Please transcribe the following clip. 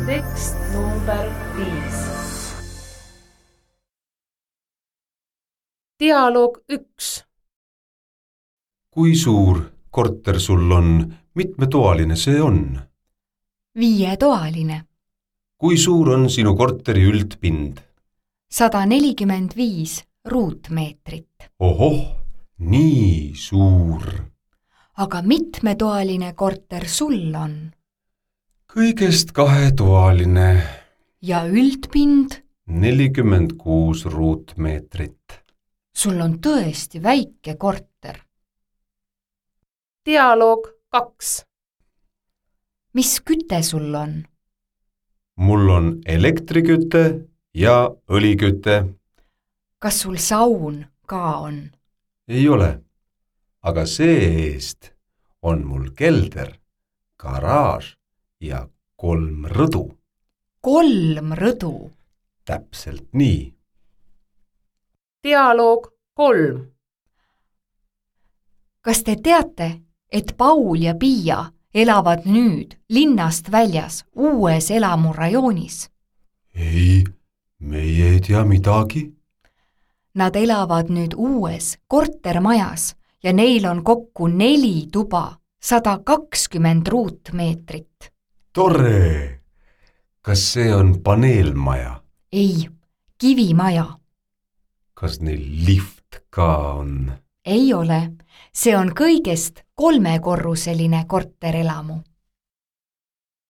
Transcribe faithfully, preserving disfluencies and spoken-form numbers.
Tekst number viis. Dialoog üks. Kui suur korter sul on, mitmetoaline see on? Viietoaline. Kui suur on sinu korteri üldpind? sada nelikümmend viis ruutmeetrit. Ohoh, nii suur. Aga mitmetoaline korter sul on? Kõigest kahetoaline. Ja üldpind? nelikümmend kuus ruutmeetrit. Sul on tõesti väike korter. Dialoog kaks. Mis küte sul on? Mul on elektriküte ja õliküte. Kas sul saun ka on? Ei ole, aga see-eest on mul kelder, garaaž ja kolm rõdu. Kolm rõdu? Täpselt nii. Dialoog kolm. Kas te teate, et Paul ja Piia elavad nüüd linnast väljas uues elamurajoonis? Ei, meie ei tea midagi. Nad elavad nüüd uues kortermajas ja neil on kokku neli tuba, sada kakskümmend ruutmeetrit. Tore! Kas see on paneelmaja? Ei, kivimaja. Kas neil lift ka on? Ei ole, see on kõigest kolmekorruseline korterelamu.